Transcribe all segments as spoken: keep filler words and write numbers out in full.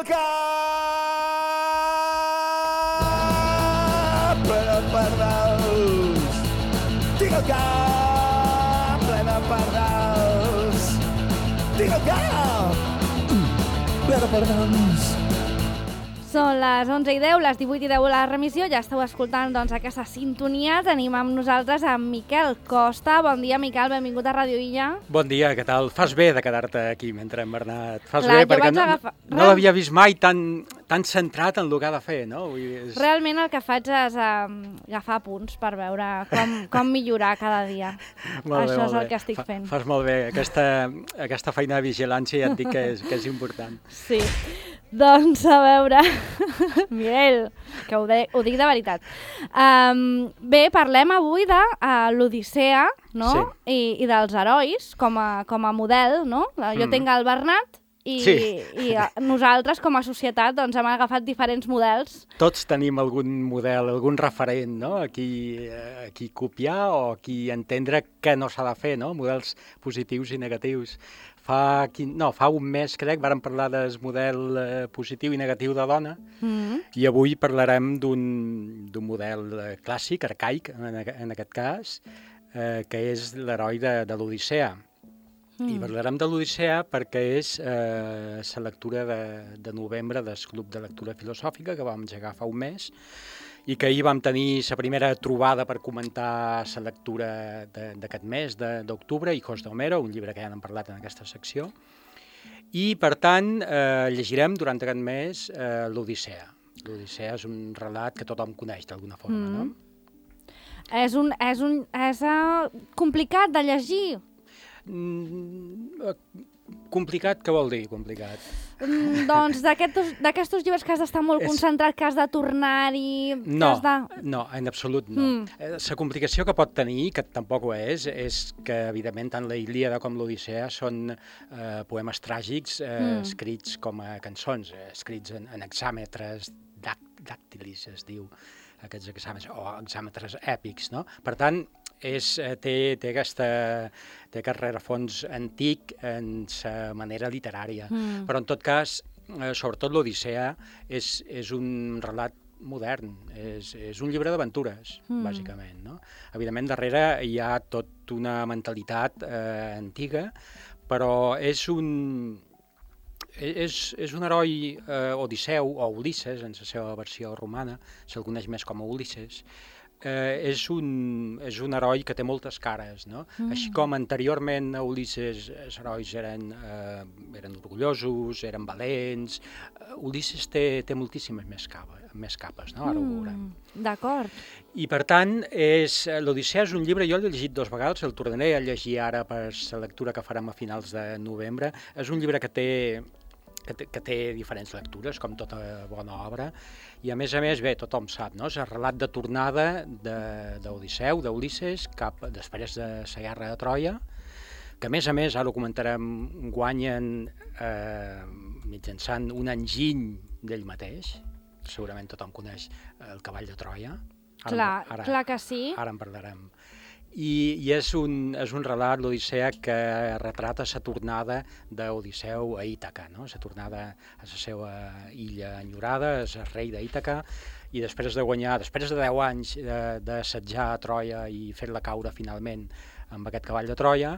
el cap ple de pardals. Tinc el cap ple de pardals. Tinc el cap ple de pardals. Són les onze i deu, les divuit i deu la remissió. Ja esteu escoltant doncs, aquesta sintonia. Tenim amb nosaltres amb Miquel Costa. Bon dia, Miquel, benvingut a Ràdio Illa. Bon dia, què tal? Fas bé de quedar-te aquí mentre hem Bernat. Fas Clar, bé, perquè no, agafar... no l'havia vist mai tan, tan centrat en el que ha de fer, no? Vull dir, és... Realment el que faig és um, agafar punts per veure com, com millorar cada dia. Molt Això bé, és molt el bé. que estic Fa, fent. Fas molt bé. Aquesta, aquesta feina de vigilància ja et dic que és, que és important. Sí. Doncs, a veure, Miquel, que ho, de, ho dic de veritat. Um, bé, parlem avui de uh, l'Odissea, no? Sí. I, i dels herois com a, com a model, no? Jo Mm. tinc el Bernat i, Sí. i uh, nosaltres com a societat doncs, hem agafat diferents models. Tots tenim algun model, algun referent, no? A qui, a qui copiar o a qui entendre què no s'ha de fer, no? Models positius i negatius. Fa, quin... no, fa un mes, crec, vàrem parlar del model eh, positiu i negatiu de dona, Mm. i avui parlarem d'un d'un model eh, clàssic, arcaic, en, en aquest cas, eh, que és l'heroi de, de l'Odissea. Mm. I parlarem de l'Odissea perquè és eh, la lectura de, de novembre del Club de Lectura Filosòfica que vam engegar fa un mes i que ahir vam tenir la primera trobada per comentar la lectura d'aquest mes d'octubre, Hijos de Homero, un llibre que ja n'hem parlat en aquesta secció. I, per tant, eh, llegirem durant aquest mes eh, l'Odissea. L'Odissea és un relat que tothom coneix d'alguna forma, Mm. no? És, un, és, un, és uh, complicat de llegir. Mm, eh, complicat, què vol dir, complicat? Mm, doncs d'aquests llibres que has d'estar molt És- concentrat, que has de tornar-hi... que No, has de... no, en absolut no. Mm. Eh, La complicació que pot tenir, que tampoc ho és, és que, evidentment, tant la Ilíada com l'Odissea són eh, poemes tràgics eh, Mm. escrits com a cançons, eh, escrits en, en hexàmetres dàct- dàctilis, es diu, aquests exàmetres, o exàmetres èpics, no? Per tant, és, eh, té, té, aquesta, té aquest rerefons antic en sa manera literària. Mm. Però, en tot cas, eh, sobretot l'Odissea és, és un relat modern, és, és un llibre d'aventures, Mm. bàsicament, no? Evidentment, darrere hi ha tota una mentalitat eh, antiga, però és un... És, és un heroi eh, Odisseu, o Ulisses, en la seva versió romana, se'l coneix més com a Ulisses, eh, és, un, és un heroi que té moltes cares, no? Mm. Així com anteriorment a Ulisses els herois eren, eh, eren orgullosos, eren valents, eh, Ulisses té, té moltíssimes més capes, més capes, no? Ara ho veurem. Mm. D'acord. I, per tant, és, l'Odissea és un llibre, jo l'he llegit dues vegades, el tornaré a llegir ara per la lectura que farem a finals de novembre. És un llibre que té, que té, que té diferents lectures, com tota bona obra, i a més a més, bé, tothom sap, no? És el relat de tornada d'Odisseu, d'Ulisses, cap després de la guerra de Troia, que a més a més, ara ho comentarem, guanyen eh, mitjançant un enginy d'ell mateix. Segurament tothom coneix el cavall de Troia. Ara, Clar, ara, clar que sí. Ara en parlarem. I, i és, un, és un relat, l'Odissea, que retrata la tornada d'Odisseu a Ítaca, no? La tornada a la seva illa enyorada, és el rei d'Ítaca, i després de guanyar, després de deu anys d'assetjar a Troia i fer-la caure finalment amb aquest cavall de Troia,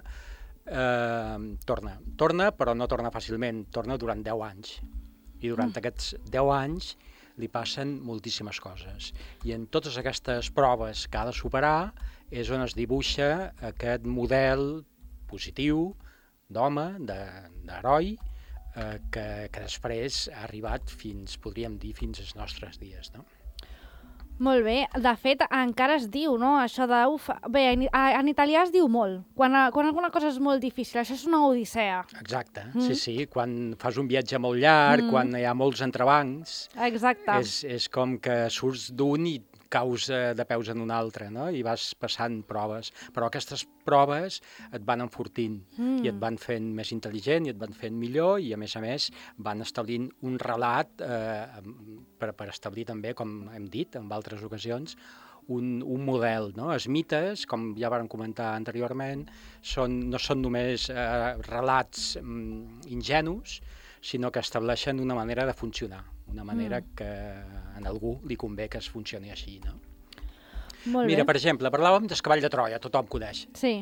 eh, torna. Torna, però no torna fàcilment, torna durant deu anys. I durant mm. aquests deu anys li passen moltíssimes coses. I en totes aquestes proves que ha de superar és on es dibuixa aquest model positiu d'home, d'heroi, eh, que, que després ha arribat fins, podríem dir, fins als nostres dies, no? Molt bé. De fet, encara es diu, no?, això de... Uf, bé, en, en italià es diu molt. Quan, quan alguna cosa és molt difícil, això és una odissea. Exacte, Mm. sí, sí. Quan fas un viatge molt llarg, Mm. quan hi ha molts entrebancs, Exacte. és, és com que surts d'un i caus eh, de peus en un altre, no? I vas passant proves. Però aquestes proves et van enfortint Mm. i et van fent més intel·ligent i et van fent millor i, a més a més, van establint un relat eh, per, per establir també, com hem dit en altres ocasions, un, un model, no? Els mites, com ja vàrem comentar anteriorment, són, no són només eh, relats mm, ingenus, sinó que estableixen una manera de funcionar, una manera mm. que a algú li convé que es funcioni així, no? Molt Mira, bé. per exemple, parlàvem del cavall de Troia, tothom coneix Sí.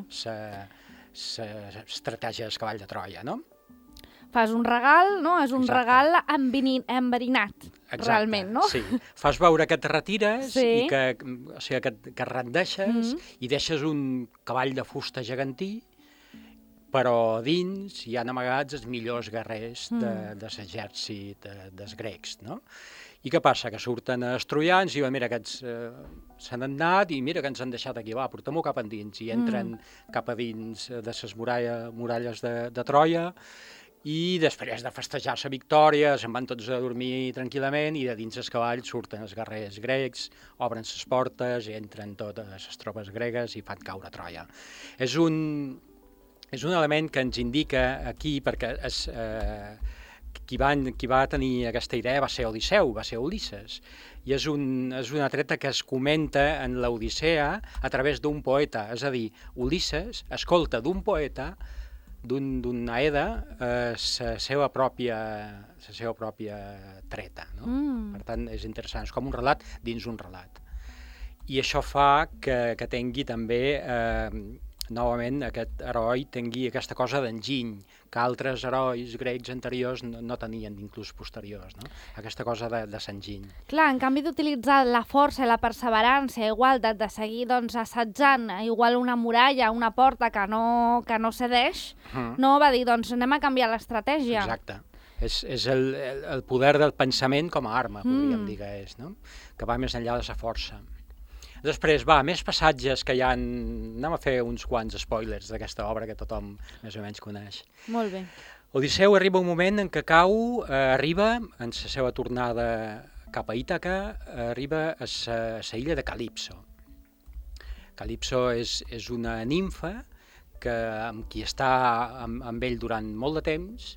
l'estratègia del cavall de Troia, no? Fas un regal, no? És un Exacte. regal enveni- enverinat, Exacte, realment, no? Sí. Fas veure que et retires Sí. i que, o sigui, que, et- que et rendeixes Mhm. i deixes un cavall de fusta gegantí, però dins hi han amagats els millors guerrers de, Mm. de l'exèrcit de, dels grecs, no? I què passa? Que surten els troians i diuen, mira, aquests eh, s'han anat i mira que ens han deixat aquí, va, portem-ho cap endins. I entren mm. cap a dins de les muralla, muralles de, de Troia i després de festejar la victòria se'n van tots a dormir tranquil·lament i de dins els cavalls surten els guerrers grecs, obren les portes i entren totes les tropes gregues i fan caure Troia. És un, és un element que ens indica aquí, perquè és, eh, qui, van, qui va tenir aquesta idea va ser Odisseu, va ser Ulisses, i és, un, és una treta que es comenta en l'Odissea a través d'un poeta, és a dir, Ulisses escolta d'un poeta, d'un Aeda, eh, la seva pròpia, la seva pròpia treta, no? Mm. Per tant, és interessant, és com un relat dins un relat. I això fa que, que tingui també, eh, novament, aquest heroi tingui aquesta cosa d'enginy, que altres herois grecs anteriors no, no tenien, inclús posteriors, no? Aquesta cosa de, de s'enginy. Clar, en canvi d'utilitzar la força i la perseverança, igual de, de seguir doncs, assetjant igual una muralla, una porta que no, que no cedeix, Mm. no va dir, doncs anem a canviar l'estratègia. Exacte. És, és el, el, el poder del pensament com a arma, podríem Mm. dir que és, no? Que va més enllà de la força. Després, va, més passatges que hi ha... Anem a fer uns quants spoilers d'aquesta obra que tothom més o menys coneix. Molt bé. Odisseu arriba un moment en què cau, eh, arriba, en la seva tornada cap a Ítaca, eh, arriba a la illa de Calipso. Calipso és, és una nimfa que, amb qui està amb, amb ell durant molt de temps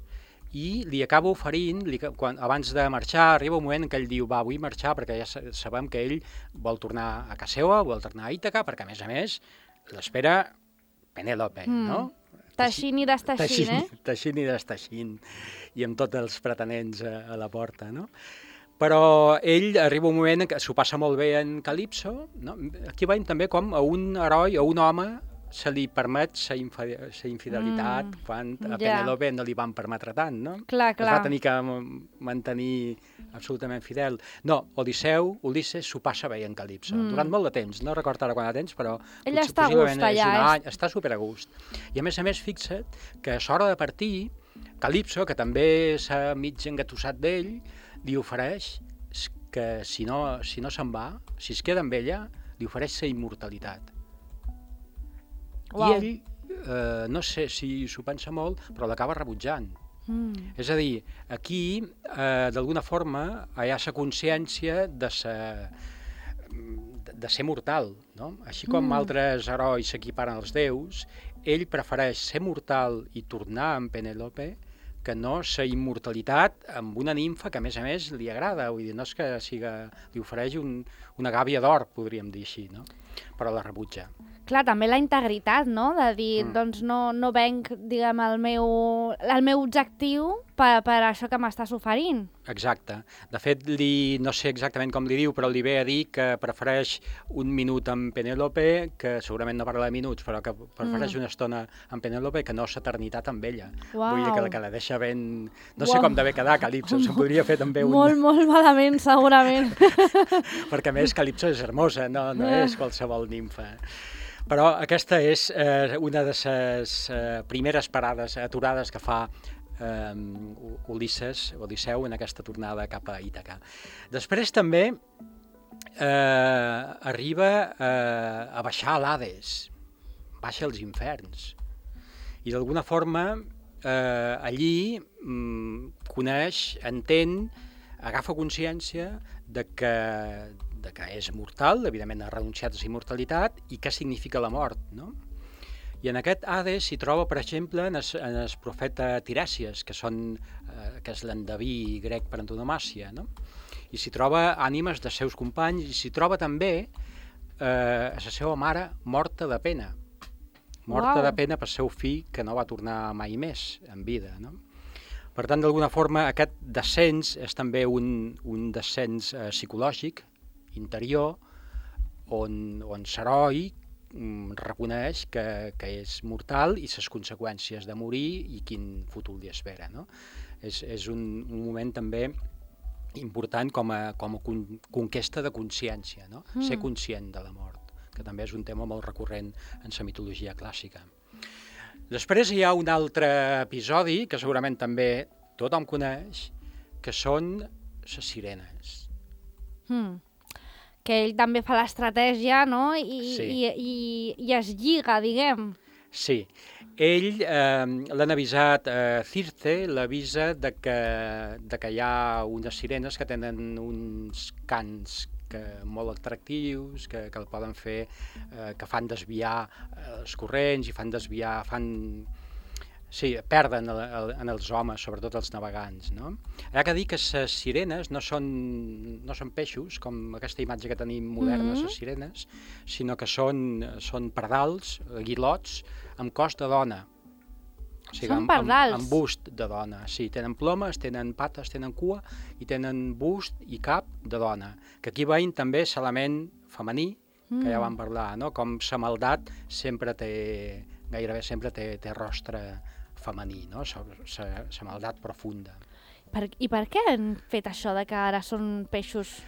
i li acaba oferint, li, quan, abans de marxar, arriba un moment en què ell diu, va, vull marxar perquè ja sabem que ell vol tornar a casa seva, vol tornar a Ítaca, perquè a més a més l'espera Penèlope, mm. no? Teixint i desteixint, eh? Teixint i desteixint, i amb tots els pretenents a, a la porta, no? Però ell arriba un moment en què s'ho passa molt bé en Calipso, no? Aquí veiem també com a un heroi, a un home, se li permet la infidelitat, mm, quan a ja. Penèlope no li van permetre tant, no? Clar, clar. Es va tenir que mantenir absolutament fidel. No, Odisseu, Ulisses, s'ho passa bé en Calipso, mm. durant molt de temps, no recordo ara quant de temps, però... Ell està a gust allà, eh? Està super a gust. I a més a més, fixa't que a l'hora de partir, Calipso, que també s'ha mig engatussat d'ell, li ofereix que si no, si no se'n va, si es queda amb ella, li ofereix la immortalitat. Wow. I ell, eh, no sé si s'ho pensa molt, però l'acaba rebutjant. Mm. És a dir, aquí, eh, d'alguna forma, hi ha la consciència de, sa, de, de ser mortal, no? Així com mm. altres herois s'equiparen als déus, ell prefereix ser mortal i tornar amb Penèlope que no la immortalitat amb una nimfa que, a més a més, li agrada. Vull dir, no és que siga, li ofereix un, una gàbia d'or, podríem dir així, no? Però la rebutja. Clar, també la integritat, no? De dir, mm. doncs no, no venc, diguem, el meu, el meu objectiu per, per això que m'estàs oferint. Exacte. De fet, li, no sé exactament com li diu, però li ve a dir que prefereix un minut amb Penèlope, que segurament no parla de minuts, però que prefereix mm. una estona amb Penèlope que no l'eternitat amb ella. Uau. Vull dir que la, que la deixa ben... No Uau. sé com d'haver quedar Calipso, se'n podria fer també un... Molt, molt malament, segurament. Perquè, a més, Calipso és hermosa, no, no és qualsevol nimfa. Però aquesta és eh, una de les eh, primeres parades, aturades que fa eh, Ulisses, Odisseu, en aquesta tornada cap a Ítaca. Després també eh, arriba eh, a baixar a l'Hades, baixa als inferns. I d'alguna forma eh, allí mm, coneix, entén, agafa consciència de que de que és mortal, evidentment ha renunciat a la immortalitat, i què significa la mort, no? I en aquest Hades s'hi troba, per exemple, en el, en el profeta Tirèsies, que, són, eh, que és l'endeví grec per antonomàsia, no? I s'hi troba ànimes dels seus companys, i s'hi troba també eh, la seva mare morta de pena, morta Uau. de pena per seu fill, que no va tornar mai més en vida, no? Per tant, d'alguna forma, aquest descens és també un, un descens eh, psicològic, interior, on, on Saroi mm, reconeix que, que és mortal i les conseqüències de morir i quin futur li espera. No? És, és un, un moment també important com a, com a con, conquesta de consciència, no? Mm. Ser conscient de la mort, que també és un tema molt recurrent en la mitologia clàssica. Després hi ha un altre episodi que segurament també tothom coneix, que són les sirenes. Mm. Que ell també fa l'estratègia, no? I, sí. i, i, i es lliga, diguem. Sí. Ell eh, l'han avisat, eh, Circe l'avisa de que, de que hi ha unes sirenes que tenen uns cants que molt atractius, que, que el poden fer, eh, que fan desviar eh, els corrents i fan desviar, fan... Sí, perden el, el, en els homes, sobretot els navegants, no? Hi ha que dir que les sirenes no són, no són peixos, com aquesta imatge que tenim moderna, les mm-hmm. sirenes, sinó que són, són pardals, aguilots, amb cos de dona. O sigui, són amb, pardals? Amb, amb bust de dona, sí. Tenen plomes, tenen pates, tenen cua i tenen bust i cap de dona. Que aquí veiem també l'element femení, mm. que ja vam parlar, no? Com la maldat sempre té, gairebé sempre té, té rostre femení, no? La maldat profunda. Per, I per què han fet això de que ara són peixos?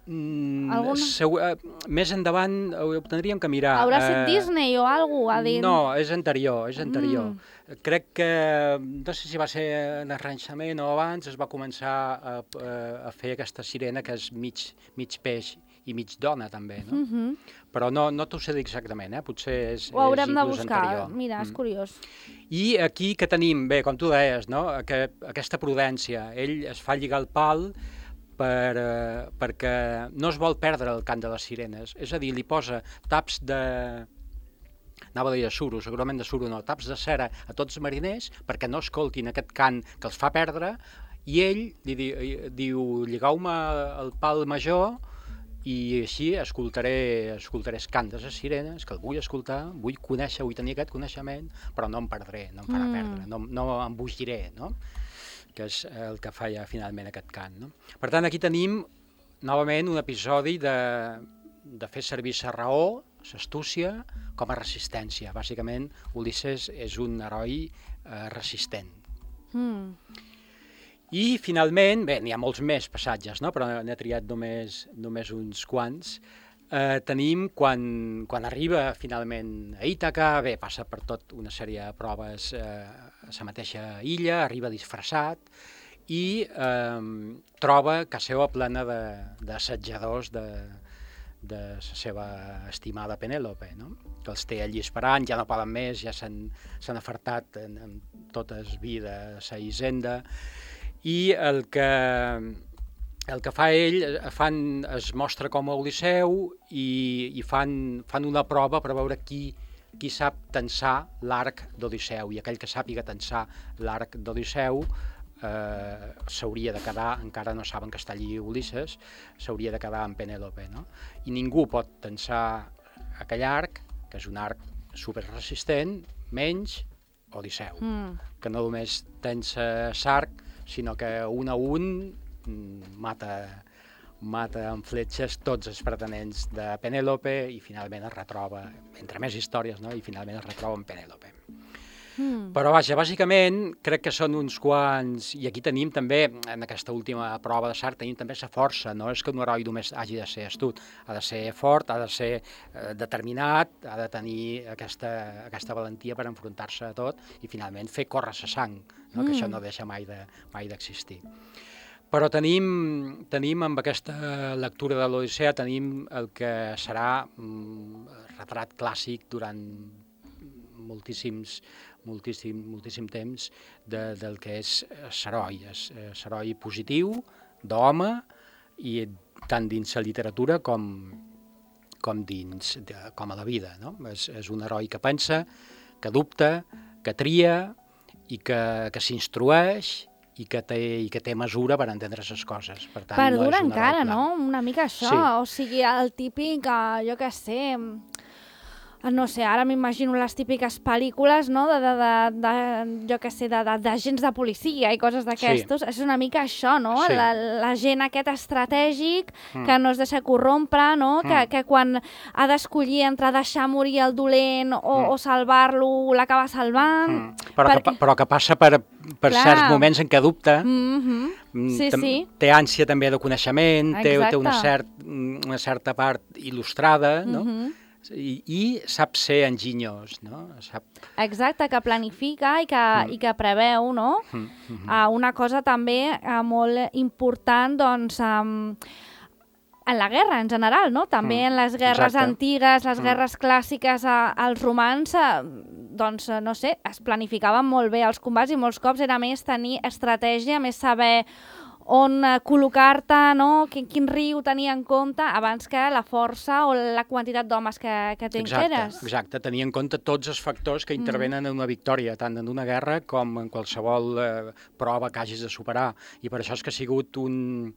Mm, segur, uh, més endavant ho tindríem que mirar. Haurà set uh, Disney o alguna cosa? Dit... No, és anterior, és anterior. Mm. Crec que, no sé si va ser en el Renaixement o abans, es va començar a, a, a fer aquesta sirena que és mig, mig peix i mig dona també, no? Mm-hmm. Però no, no t'ho sé dir exactament, eh? Potser és, ho haurem és de buscar, anterior. Mira, és mm. curiós. I aquí que tenim, bé, com tu deies, no? Que, aquesta prudència, ell es fa lligar el pal per, eh, perquè no es vol perdre el cant de les sirenes, és a dir, li posa taps de... anava a dir de suro, segurament de suro no, taps de cera a tots els mariners perquè no escoltin aquest cant que els fa perdre, i ell li di, diu, lligau-me el pal major i així escoltaré, escoltaré el cant de les sirenes, que el vull escoltar, vull conèixer, vull tenir aquest coneixement, però no em perdré, no em farà mm. perdre, no, no em bugiré, no? Que és el que feia finalment aquest cant. No? Per tant, aquí tenim novament un episodi de, de fer servir la raó, l'astúcia, com a resistència. Bàsicament, Ulisses és un heroi eh, resistent. Mm. I finalment, bé, n'hi ha molts més passatges, no? Però n'he triat només, només uns quants. Eh, tenim quan, quan arriba finalment a Ítaca, bé, passa per tot una sèrie de proves eh, a la mateixa illa, arriba disfressat i eh, troba casa seva plena d'assetjadors de, de, de la seva estimada Penèlope, no? Que els té allí esperant, ja no poden més, ja s'han afartat en, en tot el vi de la hisenda, i el que... El que fa ell, fan, es mostra com a Odisseu i, i fan, fan una prova per veure qui, qui sap tensar l'arc d'Odisseu, i aquell que sàpiga tensar l'arc d'Odisseu eh, s'hauria de quedar, encara no saben que està allí Ulisses, s'hauria de quedar amb Penèlope, no? I ningú pot tensar aquell arc, que és un arc superresistent, menys Odisseu, mm. que no només tensa l'arc, sinó que un a un mata, mata amb fletxes tots els pretenents de Penèlope i finalment es retroba, entre més històries, no? I finalment es retroba amb Penèlope. Mm. Però vaja, bàsicament crec que són uns quants, i aquí tenim també, en aquesta última prova de Sartre, tenim també la força, no és que un heroi només hagi de ser astut, ha de ser fort, ha de ser eh, determinat, ha de tenir aquesta, aquesta valentia per enfrontar-se a tot i finalment fer córrer la sang, no? Mm. Que això no deixa mai de, mai d'existir. Però tenim, tenim amb aquesta lectura de l'Odissea, tenim el que serà un retrat clàssic durant moltíssims, moltíssim, moltíssim temps de, del que és l'heroi, l'heroi positiu, d'home, i tant dins la literatura com, com, dins, de, com a la vida. No? És, és un heroi que pensa, que dubta, que tria i que, que s'instrueix, i que té, i que té mesura per entendre les coses. Per tant, perdura no encara, no? Una mica això. Sí. O sigui, el típic, jo què sé, no sé, ara m'imagino les típiques pel·lícules, no?, de, de, de, de jo què sé, d'agents de, de policia i coses d'aquestos. Sí. És una mica això, no? Sí. La, la gent aquest estratègic mm. que no es deixa corrompre, no? Mm. Que, que quan ha d'escollir entre deixar morir el dolent o, mm. o salvar-lo, l'acaba salvant. Mm. Però, perquè... que, però que passa per, per certs moments en què dubta. Mm-hmm. Sí, sí. Té ànsia també de coneixement, té, té una, cert, una certa part il·lustrada, no? Mm-hmm. I, i sap ser enginyós, no? Sap... Exacte, que planifica i que, mm. i que preveu, no? Mm -hmm. uh, una cosa també uh, molt important, doncs, um, en la guerra en general, no? També mm. en les guerres Exacte. antigues, les mm. guerres clàssiques, uh, els romans, uh, doncs, uh, no sé, es planificaven molt bé els combats i molts cops era més tenir estratègia, més saber on col·locar-te, no? Quin, quin riu tenir en compte abans que la força o la quantitat d'homes que, que t'enqueres. Exacte, tenir en compte tots els factors que intervenen mm. en una victòria, tant en una guerra com en qualsevol eh, prova que hagis de superar. I per això és que ha sigut un,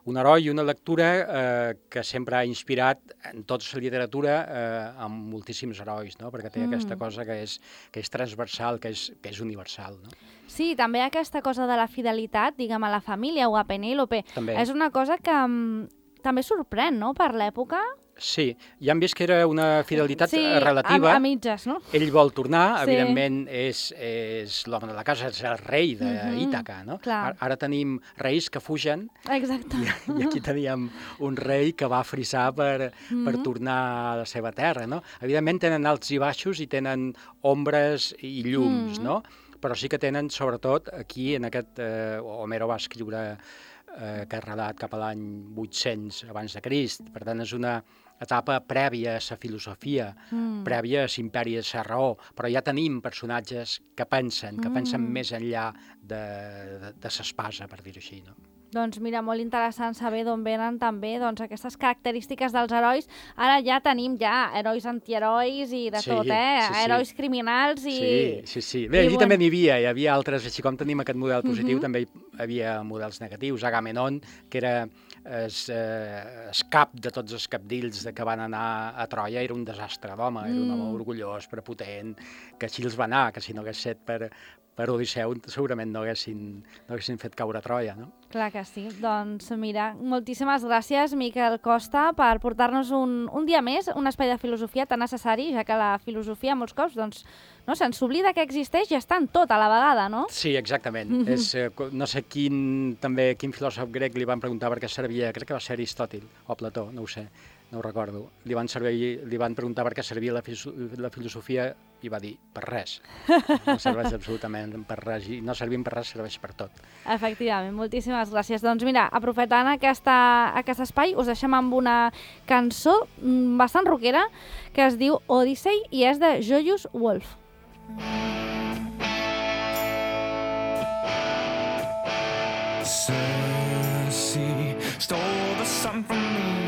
un heroi i una lectura eh, que sempre ha inspirat en tota la literatura eh, amb moltíssims herois, no? Perquè té mm. aquesta cosa que és, que és transversal, que és, que és universal, no? Sí, també aquesta cosa de la fidelitat, diguem, a la família o a Penèlope, és una cosa que um, també sorprèn, no?, per l'època. Sí, ja hem vist que era una fidelitat sí, relativa. A, a mitges, no? Ell vol tornar, sí. evidentment és, és l'home de la casa, és el rei d'Ítaca, no? Clar. Ara tenim reis que fugen. Exacte. I, i aquí teníem un rei que va frisar per, mm-hmm. per tornar a la seva terra, no? Evidentment tenen alts i baixos i tenen ombres i llums, mm-hmm. no? Però sí que tenen, sobretot, aquí, en aquest... Eh, Homero va escriure eh, aquest relat cap a l'any vuit-cents abans de Crist. Per tant, és una etapa prèvia a la filosofia, mm. prèvia a l'imperi de la raó, però ja tenim personatges que pensen, que mm. pensen més enllà de, de, de l'espasa, per dir-ho així, no? Doncs mira, molt interessant saber d'on venen també doncs, aquestes característiques dels herois. Ara ja tenim ja herois antiherois i de sí, tot, eh? Sí, sí. Herois criminals i... Sí, sí, sí. Bé, allí bueno... també n'hi havia, hi havia altres, així com tenim aquest model positiu, uh-huh. també hi havia models negatius. Agamenon, que era el eh, cap de tots els capdills de que van anar a Troia, era un desastre d'home, era un home orgullós, prepotent, que així els va anar, que si no hagués set per... per Odisseu segurament no haguessin, no haguessin fet caure a Troia, no? Clar que sí. Doncs mira, moltíssimes gràcies, Miquel Costa, per portar-nos un, un dia més un espai de filosofia tan necessari, ja que la filosofia molts cops doncs, no, se'ns oblida que existeix i està en tot a la vegada, no? Sí, exactament. Mm-hmm. És, eh, no sé quin, també, quin filòsof grec li van preguntar per què servia, crec que va ser Aristòtil o Plató, no ho sé, no ho recordo. Li van, servir, li van preguntar per què servia la, la filosofia i va dir, per res. No serveix absolutament per res i no servim per res, serveix per tot. Efectivament, moltíssimes gràcies. Doncs mira, aprofitant aquesta, aquest espai, us deixem amb una cançó bastant rockera que es diu Odyssey i és de Joyous Wolf. Circe stole the sun from me.